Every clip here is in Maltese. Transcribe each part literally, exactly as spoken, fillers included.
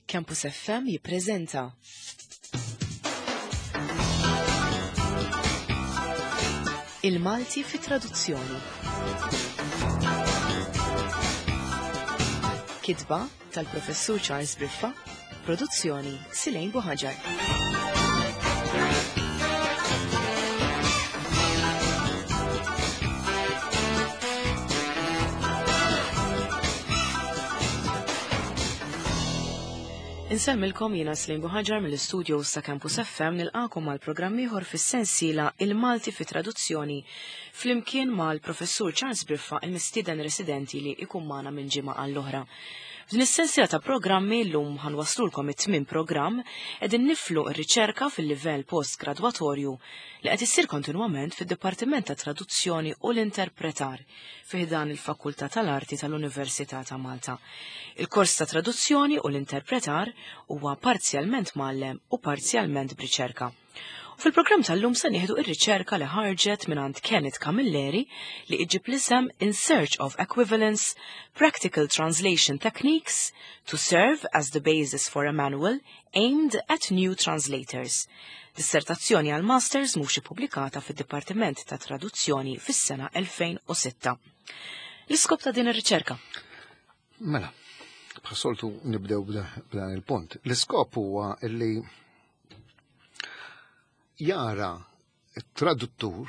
Campus F M jippreżenta Il-Malti fi traduzzjoni. Kitba tal-Professur Charles Briffa, produzzjoni Silejn Buħaġar. Insemmilkom jiena Silejn Buħaġar mill-istudio sa' Campus F M nilqakom għal programm ieħor fis-sensiela Il-Malti fi traduzzjoni flimkien mal-Professur Charles Briffa, il-mistieden residenti li ikun magħna minn ġimgħa għall-oħra. F'din is-sensiela ta' programmi llum ħanwaslulkom it-tmien programm qegħdin niflu r-riċerka fil-livell postgradwatorju li qed issir kontinwament fid-Dipartiment ta' Traduzzjoni u l-Interpretar fi ħdan il-Fakultà tal-Arti tal-Università ta' Malta. Il-kors ta' traduzzjoni u l-interpretar huwa parzjalment mgħallem u parzjalment b'riċerka. U fil-programm tal-lum se nieħdu ir-riċerka li ħarġet mingħand Kenneth Camilleri li iġib l-isem In Search of Equivalence, Practical Translation Techniques to Serve as the Basis for a Manual Aimed at New Translators. Dissertazzjoni għal Masters mhux ippubblikata fid-Dipartiment ta' Traduzzjoni fis-sena elfejn u sitta. L-iskop ta' din ir-riċerka? Mela, bħas-soltu nibdew b'dan il-punt. L-iskop huwa li jara t-traduttur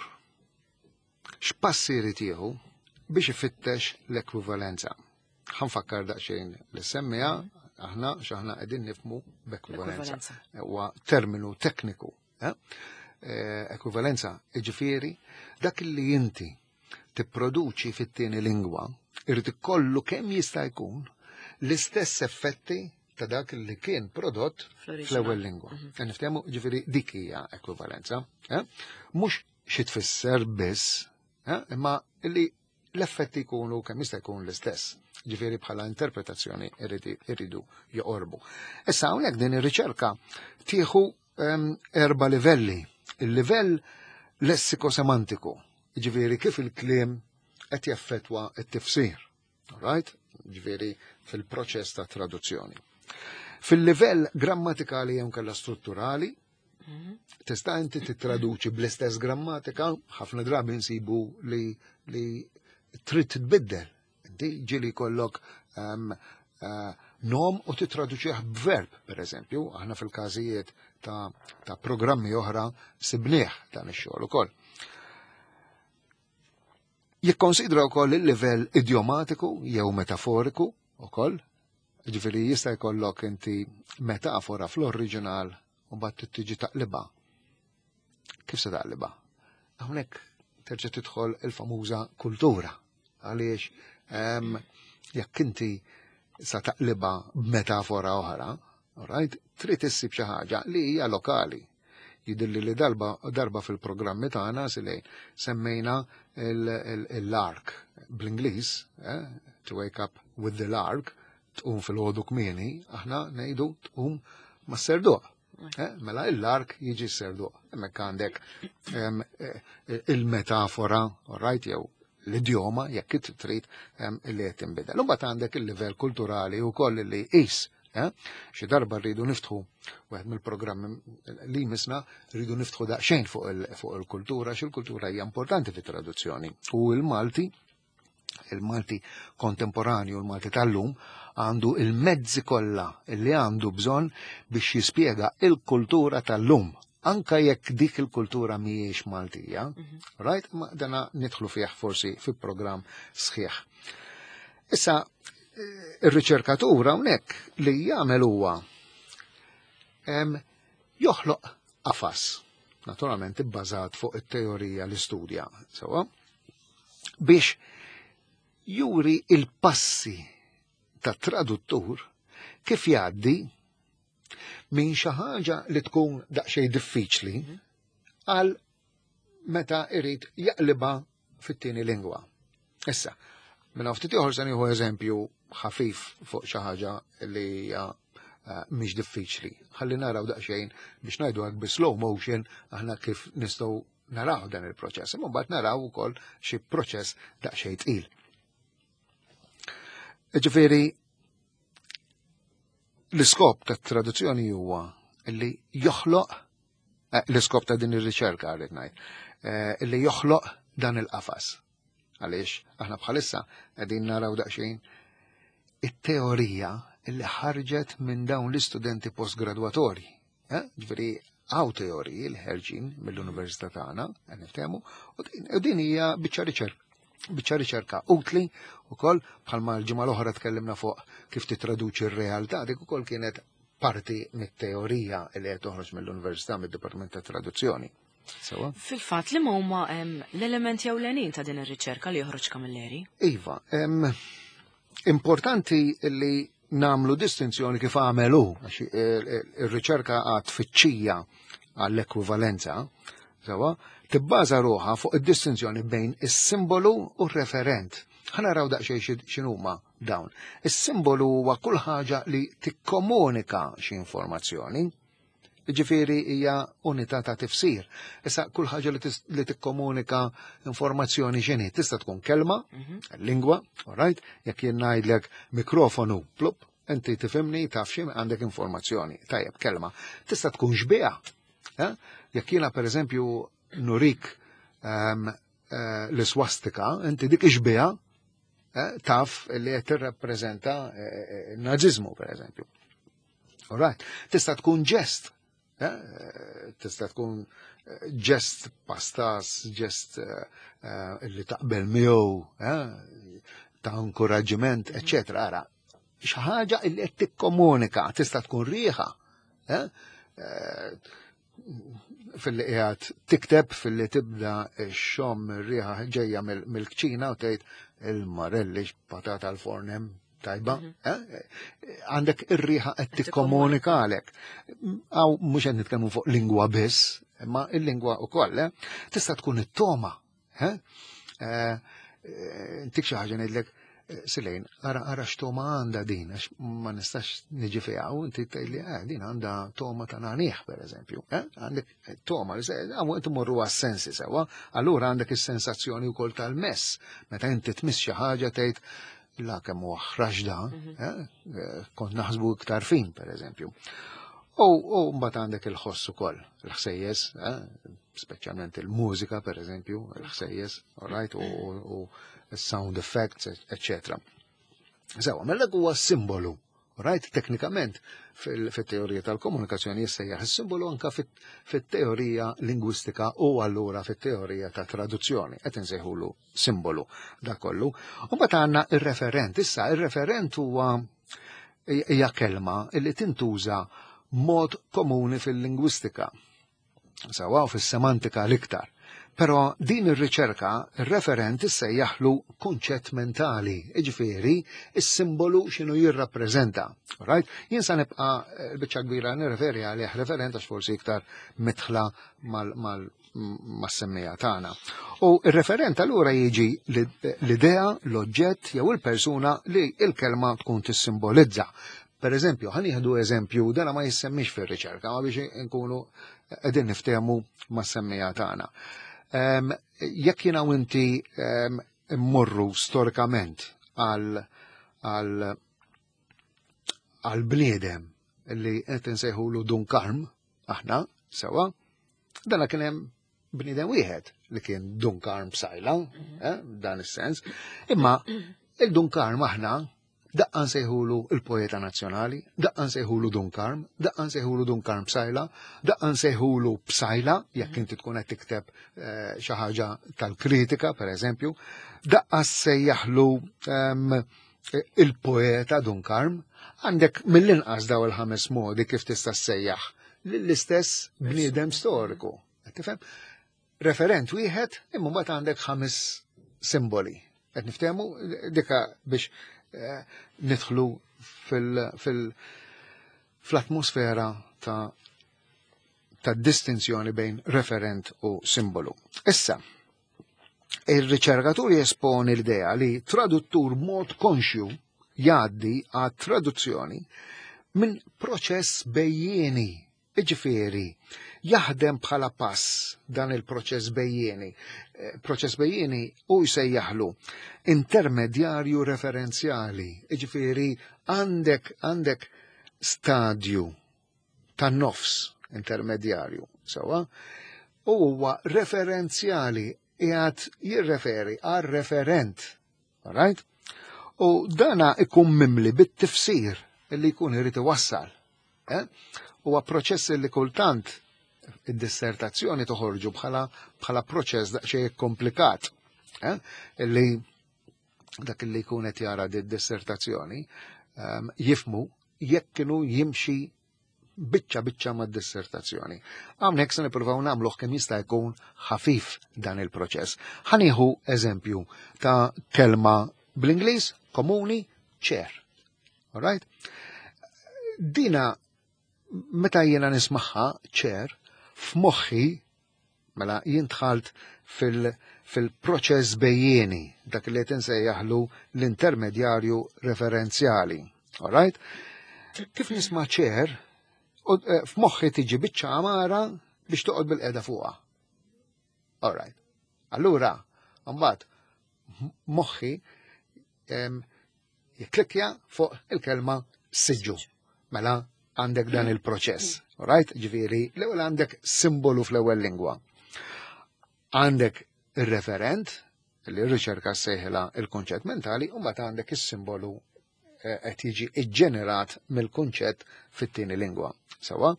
x'passi jrid jieħu biex ifittex l-ekwivalenza. Ħanfakkar daqsxejn li semmija aħna x'aħna qegħdin nifhmu b'ekwivalenza. Ekwivalenza. Huwa terminu tekniku. Eh? Eh, ekwivalenza jiġifieri dak li inti tipproduċi fit-tieni lingwa irid ikollu kemm jista' jkun l-istess effetti ta' dak li kien prodott Fl-oriġinal. fl-ewwel lingwa. Mhm. E niftehmu, ġifieri dik hija ekwivalenza. Eh? Mhux xi tfisser biss, eh? Imma li l-effetti jkunu kemm jista' jkun l-istess. Ġifieri bħala interpretazzjoni irridi, irridu joqorbu. Issa hawnhekk din ir-riċerka tieħu, ehm, erba' livelli. Il-livell lessikosemantiku, ġifieri kif il-kliem qed jaffettwa t-tifsir. All right? Ġifieri fil-proċess ta' traduzzjoni. Fil-livell grammatikali jew kellha strutturali, Mhm. tista' inti tittraduċi bl-istess grammatika, ħafna drabi nsibu li, li trid titbiddel. Inti ġieli jkollok, ehm, eh, nom u titraduċih b'verb, per eżempju, aħna fil-każijiet ta', ta' programmi oħra sibnieh dan ix-xogħol ukoll. Jikkonsidra wkoll il-livell idiomatiku jew metaforiku ukoll, ġifieri jista' jkollok inti metafora fl-oriġinal u mbagħad tiġi taqlibha. Kif se taqlibha? Hawnhekk terġa' tidħol il-famuża kultura, għaliex, ehm, jekk inti sa taqlibha b'metafora oħra, right, trid issib xi ħaġa li hija lokali. Jidhirli li darba, darba fil-programmi tagħna silejn semmejna il-, il-, il-lark bl-Ingliż, eh, to wake up with the lark, tqum fil-ħodu kmieni, aħna ngħidu tqum mas-serduq. Eh, mela il-lark jiġi s-serduq. Hemmhekk għandek, em, eh, il-metafora, all right, jew l-idjoma, jekk it trid, em, li qed tinbidel. U mbagħad għandek il-livell kulturali wkoll li jqis. Eh? Xi darba rridu niftħu wieħed mill-programmi li jmissna rridu niftħu daqsxejn fuq il-, fuq il-kultura, xi l-kultura hija importanti fit-traduzzjoni. U il-Malti, il-Malti kontemporanju, il-Malti tal-lum, għandu il-mezzi kollha li għandu bżonn biex jispjega il-kultura tal-lum, anka jekk dik il-kultura mhijiex Maltija, Mhm. right? Ma dana nidħlu fih forsi fi programm sħiħ. Issa, ir-riċerkatur hawnhekk li jagħmel huwa, em, joħloq qafas, naturalment ibbażat fuq it-teorija li studja, sewwa, biex juri il-passi ta' traduttur kif jgħaddi minn xi ħaġa li tkun daqsxejn diffiċli Mhm. għal meta irid jaqlibha fit-tieni lingwa. Issa, minn hawn ftit ieħor se nieħu eżempju ħafif fuq xi ħaġa li hija, eh, mhix diffiċli. Ħalli naraw daqsxejn biex ngħidu hekk bi slow motion aħna kif nistgħu naraw dan il-proċess. Imma mbagħad naraw ukoll xi proċess daqsxejn tqil. Ġifieri, L-iskop ta' traduzzjoni huwa li joħloq, eh, l-iskop ta' din ir-riċerka rrid ngħid, eh, li joħloq dan il-qafas. Għaliex aħna bħalissa qegħdin naraw daqsxejn it-teorija li ħarġet minn dawn l-istudenti postgradwatorji. Eh? Ġifieri hawn teoriji li ħerġin mill-università tagħna, qed niftehmu, u din hija biċċa riċerka. Biċċa riċerka utli ukoll bħalma l-ġimgħa l-oħra tkellimna fuq kif titraduċi r-realtà, dik ukoll kienet parti mit-teorija li qed toħroġ mill-Università mid-Dipartiment ta' Traduzzjoni. Sewa? Fil-fatt li ma huma l-elementi ewlenin ta' din ir-riċerka li joħroġ Camilleri? Iva, em, importanti li namlu distinzjoni kif għamelu, għax ir-riċerka għad tfittxija għall-ekwivalenza, sewa, tibbaża ruħha fuq id-distinzjoni bejn is-simbolu u r-referent. Ħa naraw daqsxejn x'inhuma dawn. Is-simbolu huwa kull ħaġa li tikkomunika xi informazzjoni. Ġifieri hija unità ta' tifsir. Issa kull ħaġa li, li tikkomunika informazzjoni x'inhi, tista' tkun kelma, lingwa, all right, jekk jien ngħidlek mikrofonu, plup, inti tifhimni taf xi għandek informazzjoni. Tajjeb, kelma. Tista' tkun xbieha. Eh? Jekk jiena pereżempju nurik um, uh, l-swastika, inti dik ix-xbieha eh, taf li qed tirrappreżenta eh, n-naziżmu pereżempju. All right. Tista' tkun ġest. Eh, tista' tkun ġest pastas, ġest li taqbel miegħu, eh, ta' inkoraġġiment, eċċetera. Ara, xi ħaġa li qed tikkomunika, tista' tkun riħa. Eh, fil-li qiegħed tikteb, fil-li tibda xxomm ir-riħa ġejja mill-kċina u tgħid il-marelli patata al-forn hemm tajba, għandek ir-riħa qed tikkomunika għalek. Għaw mhux qed nitkellmu fuq lingwa biss, imma il-lingwa wkoll, tista' tkun it-toma. Intik xi ħaġa ngħidlek, Silejn, ara ara x'toma għandha din, għax ma nistax niġi fiha, u inti tgħidli, eh, din għandha toma ta' nagħnieh, pereżempju. Għandek toma, għaw inti morru għas-sensi sewa, allura għandek is-sensazzjoni wkoll tal-mess. Meta inti tmiss xi ħaġa tgħid, la kemm huwa ħrax da, kont naħsbu iktar fin, pereżempju. U mbagħad għandek il-ħoss ukoll, il-ħsejjes, speċjalment il-mużika, pereżempju, il-ħsejjes, all right, u sound effects, eccetera. Sewa, mela huwa simbolu, right? Teknikament fil-teorija tal-komunikazzjoni jissejjaħ is-simbolu anka fit-teorija lingwistika u allura fit-teorija ta' traduzzjoni, qed insejħulu simbolu da kollu. U mbagħad għandna ir-referent. Issa ir-referent huwa hija kelma li tintuża mod komuni fil-lingwistika. Sewa u fis-semantika l-iktar. Però din ir-riċerka, ir-referent issejjaħlu kunċett mentali, jiġifieri is-simbolu x'inhu jirrappreżenta. Right? Jien sa nibqa' l-biċċa kbira nirreferi għalih referent għax forsi iktar mitħla mal-semmija tagħna. U ir-referent allura jiġi l-idea, l-oġġett jew il-persuna li l-kelma tkun tissimbolizza. Per eżempju, ħa nieħdu eżempju, dana ma jissemmix fir-riċerka, ma biex nkunu qegħdin niftehmu mas-semmija tagħna. Jekk jiena u inti immorru storikament għal għal bniedem li qed insejħulu Dun Karm, aħna, sewa, dana kien hemm bniedem wieħed li kien Dun Karm Psaila, dan is-sens, imma il-Dun Karm aħna daqqa nsejħulu il-poeta nazzjonali, daqqa nsejħulu Dun Karm, daqqa nsejħulu Dun Karm Psaila, daqqa nsejħulu Psaila, jekk inti tkun qed tikteb xi ħaġa tal-kritika, per eżempju, daqqa sejjaħlu il-poeta Dun Karm, għandek mill-inqas daw il-ħames modi kif tista' ssejjaħ l-istess bniedem storiku. Tifhem? Referent wieħed, imma mbagħad għandek ħames simboli. Qed niftehmu dika biex nidħlu fil-atmosfera ta' ta' distinzjoni bejn referent u simbolu. Issa, il-riċerkatur jesponi l-idea li traduttur mod konxju jgħaddi għat traduzzjoni minn proċess bejjieni, jiġifieri, jaħdem bħala pass dan il-proċess bejjieni. Proċess bejjieni u jsejjaħlu intermedjarju referenzjali, jiġifieri għandek għandek stadju tan-nofs intermedjarju, sewwa, u huwa referenzjali, qiegħed jirreferi għal referent. Alright? U dana ikun mimli bit-tifsir li jkun irid iwassal. Eh? Huwa proċess li kultant id-dissertazzjoni toħorġu bħala bħala proċess daqsxejn komplikat. Eh? Illi dak li jkun qed jara di dissertazzjoni um, jifmu jekk kienu jimxi biċċa biċċa ma' dissertazzjoni. Hawnhekk se nippruvaw nagħmluh kemm jista' jkun ħafif dan il-proċess. Ħa nieħu eżempju ta' kelma bl-Ingliż komuni, chair. Alright? Dina meta jiena nismaħħa chair f'moħħi, mela jien dħalt fil- fil-proċess bejjieni, dak li qed insejjaħlu l-intermedjarju referenzjali. Alright? Kif nisma' chair, u, eh, f'moħħi tiġi biċċa għamara biex toqgħod bilqiegħda fuqha. Alright. Allura, mbagħad moħħi em, jikklikja fuq il-kelma siġġu. Mela għandek dan il-proċess. Alright? Ġifieri, l-ewwel għandek simbolu fl-ewwel lingwa. Għandek il-referent, li r-riċerka sejħila il-konċett mentali, u mbagħad għandek is-simbolu eh, qed jiġi iġġenerat mill-kunċett fit-tieni lingwa. Sewwa?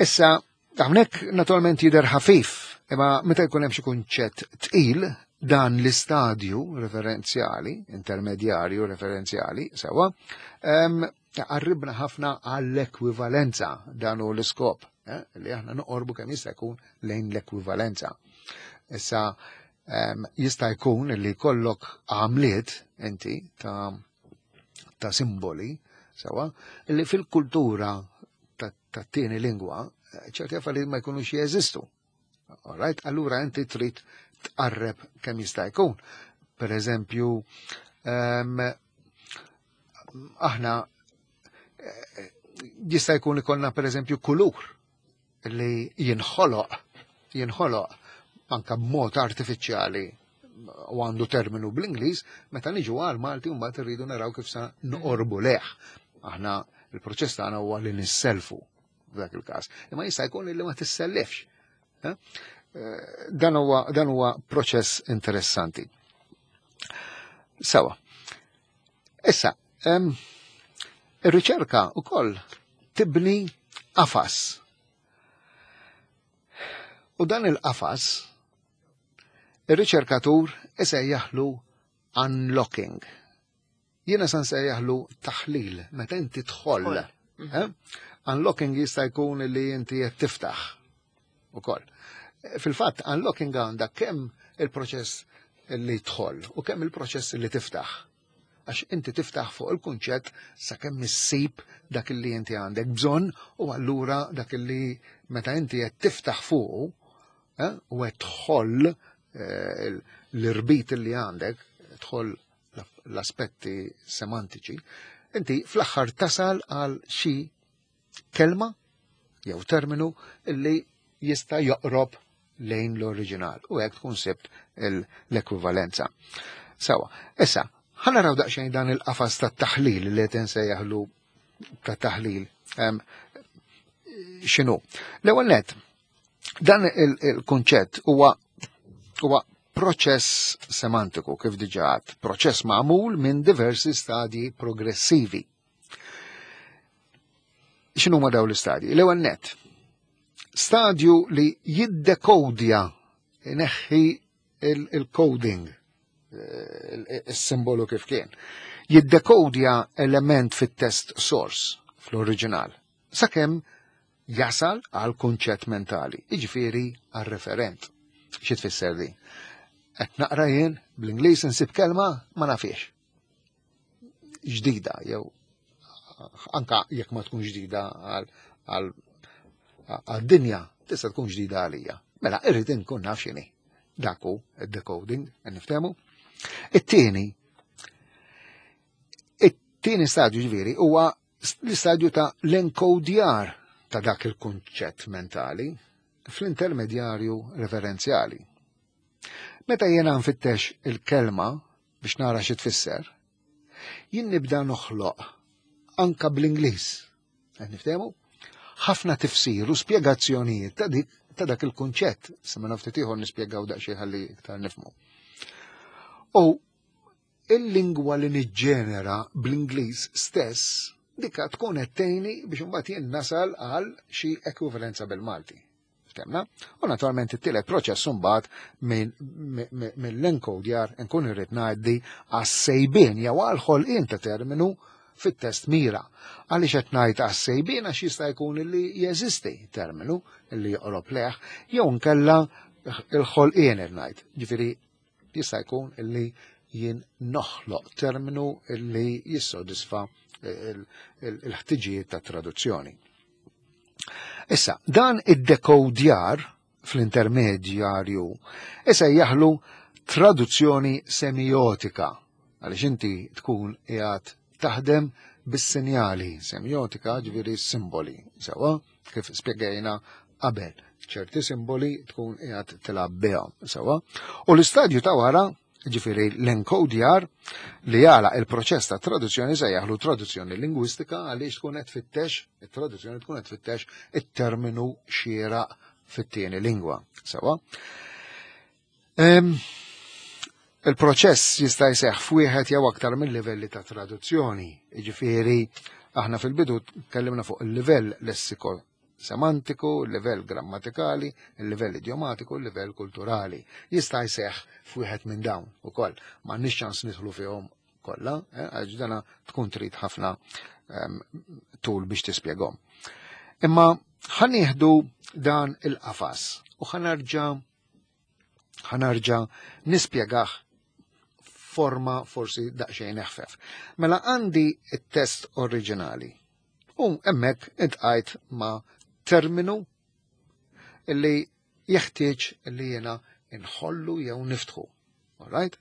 Issa, hawnhekk naturalment jidher ħafif, imma meta jkun hemm xi kunċett tqil, dan l-istadju referenzjali, intermedjarju referenzjali, sewwa, em, qarribna ħafna għall-ekwivalenza. Dan hu l-iskop, eh, li aħna noqorbu kemm jista' jkun lejn l-ekwivalenza. Issa, em, jista' jkun li kollok għamliet inti ta' ta' simboli, sewwa, li fil-kultura ta' ta' tieni lingwa, eh, ċerti affarijiet ma jkunux jeżistu. Alright, allura inti trid tqarreb kemm jista' jkun. Per eżempju, em, aħna eh, jista' jkun ikollna, per eżempju, kulur li jinħoloq jinħoloq anka b'mod artifiċjali u għandu terminu bl-Ingliż, meta niġu għal Malti mbagħad irridu naraw kif sa noqorbu lejh. Aħna il-proċess tagħna huwa li nisselfu f'dak il-każ. Imma jista' jkun li ma tissellifx. Eh? Eh, Dan huwa dan huwa proċess interessanti. Sewwa. Issa, em, ir-riċerka wkoll tibni qafas. U dan il-qafas ir-riċerkatur isejjaħlu unlocking. Jiena san sejjaħlu taħlil, meta inti tħoll. Tħoll. Eh? Unlocking jista' jkun li inti qed tiftaħ ukoll. Fil-fatt, unlocking għandha kemm il-proċess li tħoll u kemm il-proċess li tiftaħ. Għax inti tiftaħ fuq il-kunċett sakemm issib dak li inti għandek bżonn, u allura dak li meta inti qed tiftaħ fuqu eh, u qed tħoll eh, l-irbit li għandek, tħoll l-aspetti semantiċi, inti fl-aħħar tasal għal xi kelma jew terminu illi jista' joqrob lejn l-oriġinal u hekk tkun sibt l-ekwivalenza. Sewwa, issa, ħa naraw daqsxejn dan il-qafas tat-taħlil li qed insejjaħlu ta' taħlil x'inhu. L-ewwel net, dan il-kunċett huwa huwa proċess semantiku, kif diġà, proċess magħmul minn diversi stadji progressivi. X'inhu ma dawn l-istadji? L-ewwel net, stadju li jiddekodja, neħħi il-coding, il-simbolu kif kien. Jiddekodja element fit-text source, fl-oriġinal, sakemm jasal għal kunċett mentali, iġifieri għal referent. Xi tfisser di? Qed naqra jien bl-Ingliż, insib kelma ma nafiex. Ġdida, jew anka jekk ma tkun ġdida għal dinja, tista' tkun ġdida għalija. Mela irrid inkun naf x'inhi. Dak hu id-decoding, niftehmu. It-tieni, it-tieni stadju ġifieri huwa l-istadju ta' l-enkodjar ta' dak il-kunċett mentali fl-intermedjarju referenzjali. Meta jiena nfittex il-kelma biex nara xi tfisser, jien nibda noħloq anka bl-Ingliż. Qed niftehmu? Ħafna tifsir u spjegazzjonijiet ta' dik ta' dak il-kunċett. Sa ma ftit ieħor nispjegaw daqsxejn ħalli iktar nifhmu. U il-lingwa li niġġenera bl-Ingliż stess dika tkun qed tgħinni biex imbagħad jien nasal għal xi ekwivalenza bil-Malti. Ftehmna? U naturalment it-tielet proċess imbagħad mill-enkodjar nkun irrid ngħaddi għas-sejbien jew għal ħolqien ta' terminu fit-test mira. Għaliex qed ngħid għas-sejbien? Għax jista' jkun li jeżisti terminu li joqrob lejh jew nkella il-ħolqien ngħid. Ġifieri jista' jkun illi jien noħloq terminu illi jissodisfa il-ħtiġijiet ta' traduzzjoni. Issa, dan id-dekodjar fl-intermedjarju issa jaħlu traduzzjoni semiotika, għaliex inti tkun qiegħed taħdem bis-sinjali, semiotika ġifieri simboli, sewa, kif spjegajna qabel, ċerti simboli tkun qiegħed tilgħab bihom, sewa. U l-istadju ta' wara, ġifieri l-enkodjar li jala il-proċess ta' traduzzjoni, se jaħlu traduzzjoni lingwistika, għaliex tkun qed tfittex, it-traduzzjoni tkun qed tfittex it-terminu xieraq fit-tieni lingwa. Sewa. Il-proċess jista' jseħħ f'wieħed jew aktar mill-livelli ta' traduzzjoni. Jiġifieri aħna fil-bidu tkellimna fuq il-livell lessiko semantiku, il-livell grammatikali, il-livell idiomatiku, il-livell kulturali. Jista' jseħħ f'wieħed minn dawn ukoll. M'għandniex ċans nidħlu fihom kollha, eh, għax dana tkun trid ħafna um, tul biex tispjegahom. Imma ħa nieħdu dan il-qafas u ħa nerġa' ħa nerġa' nispjegah forma forsi daqsxejn eħfef. Mela għandi it-test oriġinali u hemmhekk iltqajt ma' terminu illi jeħtieġ li jena inħollu jew niftħu. Alright?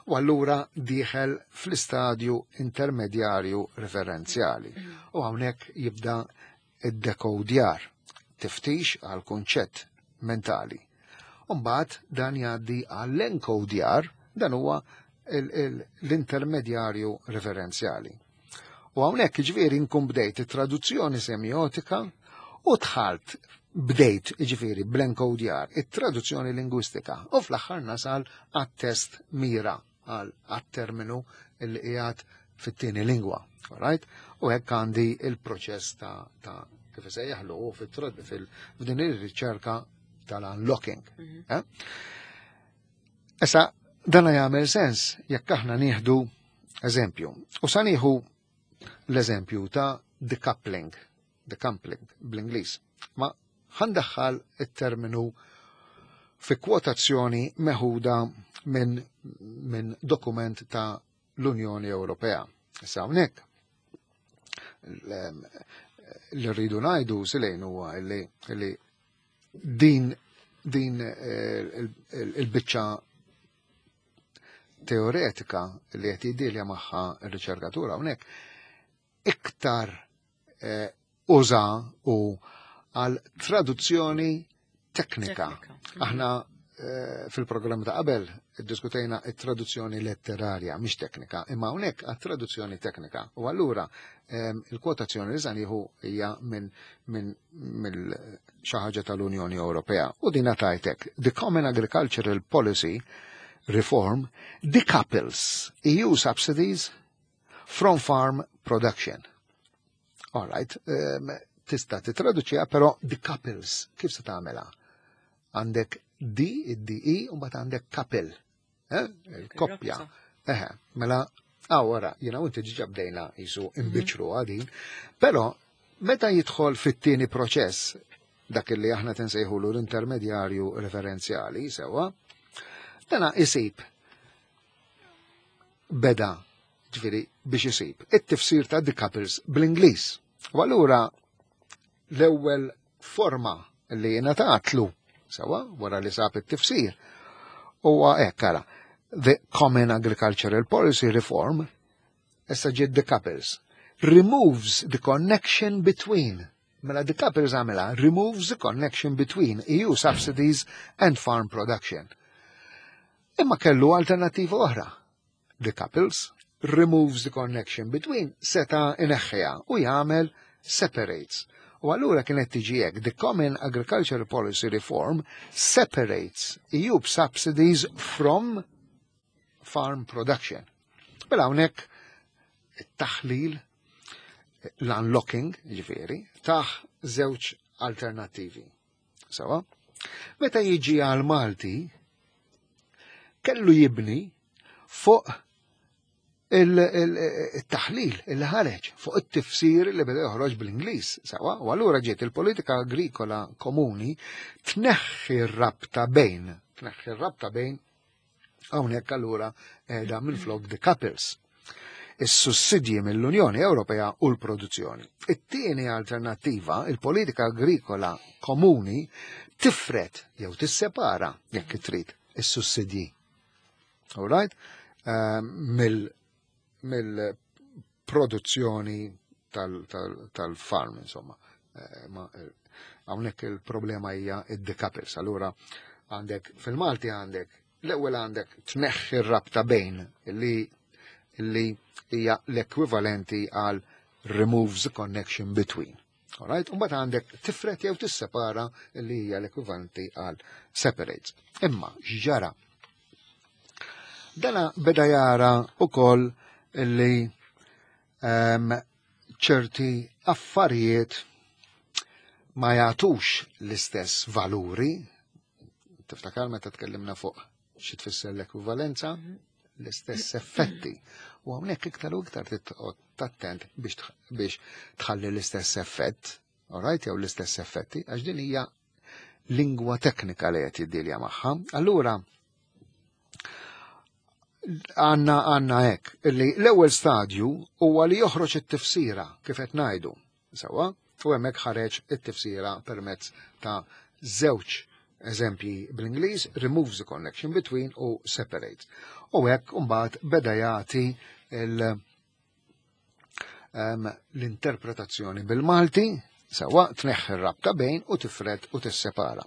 U allura dieħel fl-istadju intermedjarju referenzjali. U hawnhekk jibda id-dekodjar, tiftix għal kunċett mentali. Umbagħad dan jgħaddi għall-enkodjar, dan huwa l-intermedjarju referenzjali. U hawnhekk ġifieri nkun bdejt it-traduzzjoni semiotika u dħalt bdejt ġifieri bl-enkodjar it-traduzzjoni lingwistika u fl-aħħar nasal għat-test mira, għat-terminu li qiegħed fit-tieni lingwa. Alright? U hekk għandi il-proċess ta', ta kif isejjaħlu f'din ir-riċerka tal-unlocking. Mhm. Eh? Issa, dana jagħmel sens jekk aħna nieħdu eżempju. U sa nieħu l-eżempju ta' decoupling, decoupling bl-Ingliż. Ma ħa ndaħħal it-terminu fi kwotazzjoni meħuda minn min dokument ta' l-Unjoni Ewropea. Issa hawnhekk li rridu ngħidu silejn huwa li li din din eh, il-biċċa teoretika li qed jidilja magħha r-riċerkatura hawnhekk iktar eh, uża u għal traduzzjoni teknika. Teknika. Aħna eh, fil-programm ta' qabel iddiskutejna it-traduzzjoni letterarja, mhix teknika, imma hawnhekk għat-traduzzjoni teknika. U allura em, il-kwotazzjoni li se nieħu hija minn min, mill xi ħaġa tal-Unjoni Ewropea. U din tajtek, "The Common Agricultural Policy Reform decouples E U subsidies from farm production." All right, um, tista' titraduċiha, però decouples, kif se tagħmilha? Għandek D, id-D E, u mbagħad għandek couple. Eh? Il-koppja. Eħe, mela, għawara, jena u inti ġiġa bdejna jisu imbiċru għadin, però meta jidħol fit-tieni proċess, dak li aħna tinsejħulu l-intermedjarju referenzjali, sewa, dana isib beda ġifieri biex isib it-tifsir ta' decouples bl-Ingliż. U allura l-ewwel forma li ngħatatlu, sewa, wara li sab it-tifsir, huwa hekk, ara: "The Common Agricultural Policy Reform", issa ġiet decouples, "removes the connection between", mela decouples għamela, "removes the connection between E U subsidies and farm production." Imma kellu alternativa oħra. Decouples Removes the connection between seta' ineħħiha u jagħmel separates. U allura kienet tiġi hekk, the Common Agricultural Policy Reform separates E U subsidies from farm production. Mela hawnhekk it-taħlil, l-unlocking, ġifieri, taħ żewġ alternattivi. Sawa? Meta jiġi għal Malti, kellu jibni fuq il-taħlil il ħareġ, fuq it-tifsir li beda joħroġ bl-Ingliż, sawa, u allura ġiet il-politika agrikola komuni tneħħi r-rabta bejn, tneħħi r-rabta bejn, hawnhekk allura qiegħda minflok decouples is-sussidji mill-Unjoni Ewropea u l-produzzjoni. It-tieni alternattiva, il-politika agrikola komuni tifret jew tissepara, jekk trid, is-sussidji. All right? Uh, mill mill-produzzjoni tal-farm, insomma. Eh, ma eh, hawnhekk il-problema hija id-decouples. Allura għandek fil-Malti għandek l-ewwel għandek tneħħi r-rabta bejn li li hija l-ekwivalenti għal removes the connection between. Alright? U mbagħad għandek tifret jew tissepara li hija l-ekwivalenti għal separates. Imma x'ġara? Dana beda jara ukoll li um, ċerti affarijiet ma jagħtux l-istess valuri. Tiftakar meta tkellimna fuq xi tfisser l-ekwivalenza, l-istess effetti. U hawnhekk iktar u iktar tattent biex biex tħalli l-istess effett, alright, jew l-istess effetti, għax din hija lingwa teknika li qed jiddilja magħha. Allura għanna għanna hekk, illi l-ewwel stadju huwa li joħroġ it-tifsira kif qed ngħidu. Sewwa, u hemmhekk ħareġ it-tifsira permezz ta' żewġ eżempji bl-Ingliż, removes the connection between u separates. U hekk mbagħad beda jagħti l-interpretazzjoni bil-Malti, sewwa, tneħħi r-rabta bejn u tifred u tissepara.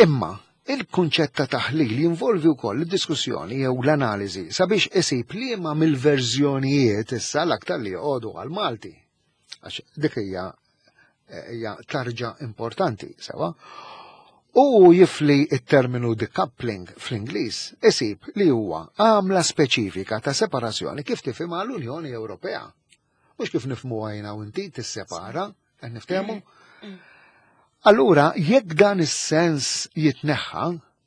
Imma il-kunċett ta' taħlil jinvolvi wkoll id-diskussjoni jew l-analiżi sabiex isib liema mill-verżjonijiet issa l-aktar li joqogħdu għal-Malti. Għax dik hija hija tarġa importanti, sewa. U jifli il-terminu decoupling fl-Ingliż isib li huwa għamla speċifika ta' separazzjoni kif tifhimha l-Unjoni Ewropea. Mhux kif nifhmu jiena u inti tissepara, qed niftehmu? Allura, jekk dan is-sens jitneħħa,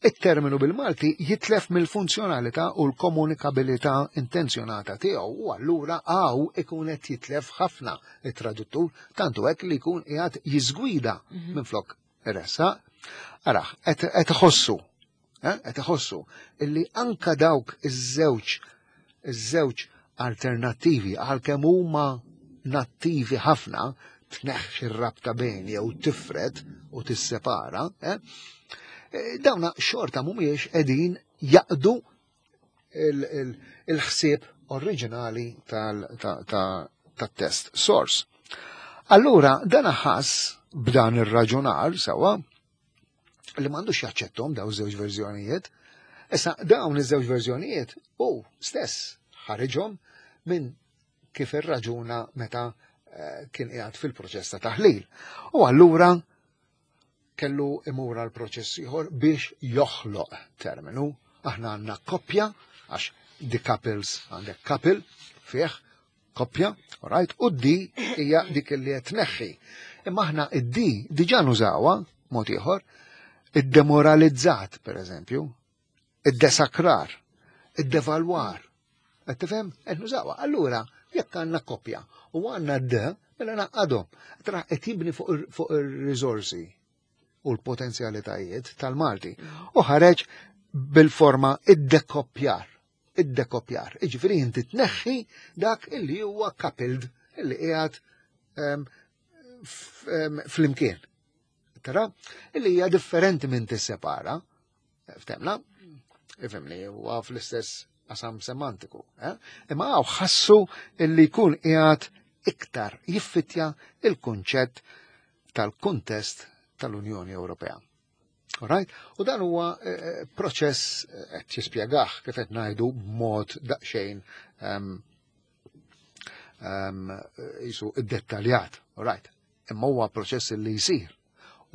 it-terminu bil-Malti jitlef mill-funzjonalità u l-komunikabilità intenzjonata tiegħu u allura għaw ikun qed jitlef ħafna it-traduttur, tantu hekk li jkun qiegħed jiżgwida mhm. minflok iressa. Araħ, qed iħossu, eh, qed iħossu illi anka dawk iż-żewġ iż-żewġ alternattivi, għalkemm huma nattivi ħafna, tneħħi r-rabta bejn jew tifred u tissepara, eh, eh, dawna xorta mhumiex qegħdin jaqdu il-ħsieb oriġinali tal-test source. Allura, dan ħass b'dan ir-raġunar sewa li m'għandux jaċċettom daw żewġ verżjonijiet. Issa dawn iż-żewġ verżjonijiet u stess ħariġhom minn kif irraġuna meta eh, kien qiegħed fil-proċess ta' taħlil. U allura kellu imur għal proċess ieħor biex joħloq terminu. Aħna għandna koppja, għax decouples għandek couple fih koppja, right? U d hija dik li qed tneħħi. Imma aħna id-D diġà nużawha mod ieħor, id-demoralizzat, per eżempju, id-desakrar, id-devalwar. Qed tifhem? Qed nużawha. Allura, jekk għandna koppja u għandna d, mela naqadhom. Tra qed jibni fuq ir-riżorsi u l-potenzjalitajiet tal-Malti. U ħareġ bil-forma id-dekoppjar. Id-dekoppjar. Iġifieri inti tneħħi dak illi huwa coupled, illi qiegħed flimkien. Tara, illi hija differenti minn tissepara. Ftemna? Ifhimni, huwa fl-istess qasam semantiku. Eh? Imma għaw ħassu illi jkun qiegħed iktar jiffittja il-kunċett tal-kuntest tal-Unjoni Ewropea. Alright? U dan huwa eh, proċess eh, qed jispjegah kif qed ngħidu b'mod daqsxejn um, um, jisu iddettaljat, alright? Imma huwa proċess li jsir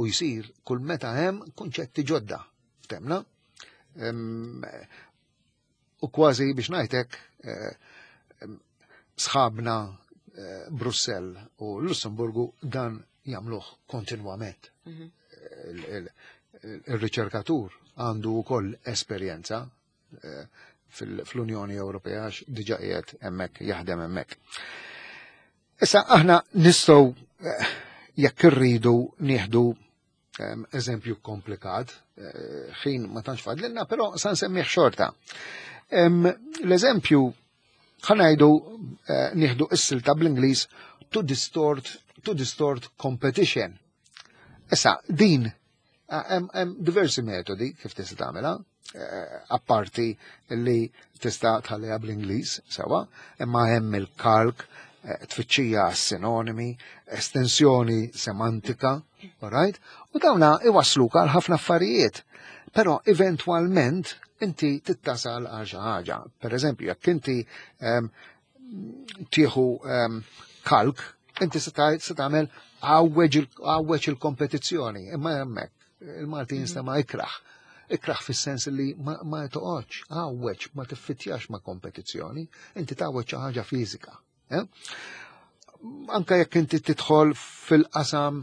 u jsir kull meta hemm kunċetti ġodda. Ftemna? Um, u kważi biex ngħidlek eh, sħabna eh, Brussell u Lussemburgu dan jagħmluh kontinwament. Mhm. Il-riċerkatur għandu wkoll esperjenza eh, fl-Unjoni Ewropea għax diġà qiegħed hemmhekk jaħdem hemmhekk. Issa aħna nistgħu eh, jekk irridu nieħdu eżempju komplikat, eh, ħin ma tantx fadlilna, però sa nsemmih xorta. L-eżempju ħa ngħidu nieħdu is-silta bl-Ingliż to distort to distort competition. Issa din hemm diversi metodi kif tista' tagħmilha, eh, apparti li tista' tħalliha bl-Ingliż sewa, imma hemm il-kalk, eh, tfittxija sinonimi, estensjoni semantika, alright? U dawna iwasluk għal ħafna affarijiet. Però eventwalment inti tittasal għal xi ħaġa. Per eżempju, jekk inti tieħu kalk, inti se tagħmel għawweġ il-kompetizzjoni, imma hemmhekk il-Malti mhm. jinstema ikraħ. Ikraħ fis-sens li ma, ma toqgħodx, għawweġ, ma tiffitjax ma' kompetizzjoni, inti tgħawweġ xi ħaġa fiżika. Eh? Anka jekk inti tidħol fil-qasam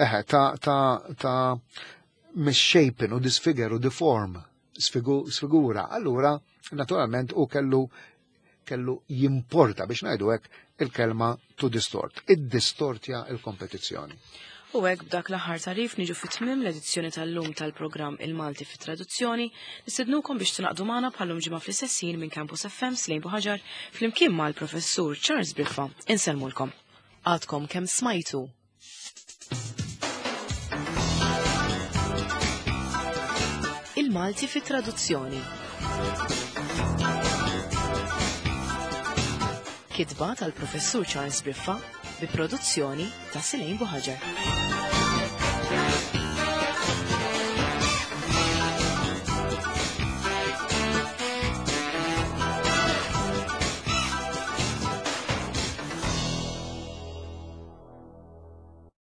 eħe, ta' ta' ta' misshapen u disfigure u deform, sfigura, allura naturalment u kellu kellu jimporta biex ngħidu hekk il-kelma to distort, id-distortja il-kompetizzjoni. U hekk b'dak l-aħħar tarif niġu fit-tmim l-edizzjoni tal-lum tal-programm Il-Malti fit-Traduzzjoni, nistednukom biex tingħaqdu magħna bħallum ġimgħa fl-istess ħin minn Campus F M Slejn Buħaġar flimkien mal-Professur Charles Briffa. Insellmulkom. Għadkom kemm smajtu. Il-Malti fit-Traduzzjoni. Kitba tal-Professur Charles Briffa bi produzzjoni ta' Silejn Buħaġar.